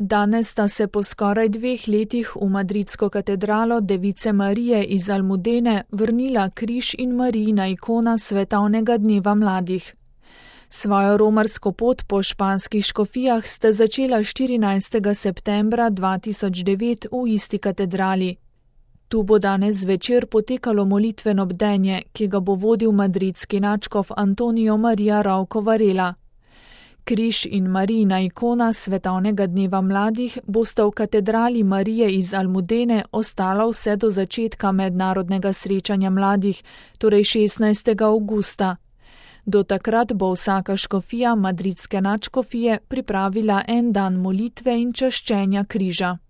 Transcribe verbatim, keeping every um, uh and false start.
Danes sta se po skoraj dveh letih v madridsko katedralo Device Marije iz Almudene vrnila križ in Marijina ikona svetovnega dneva mladih. Svojo romarsko pot po španskih škofijah ste začela štirinajstega septembra dva tisoč devet v isti katedrali. Tu bo danes zvečer potekalo molitveno bdenje, ki ga bo vodil madridski nadškof Antonio Maria Ravko Varela. Križ in Marijina ikona svetovnega dneva mladih bosta v katedrali Marije iz Almudene ostala vse do začetka mednarodnega srečanja mladih, torej šestnajstega avgusta. Do takrat bo vsaka škofija madridske nadškofije pripravila en dan molitve in čaščenja križa.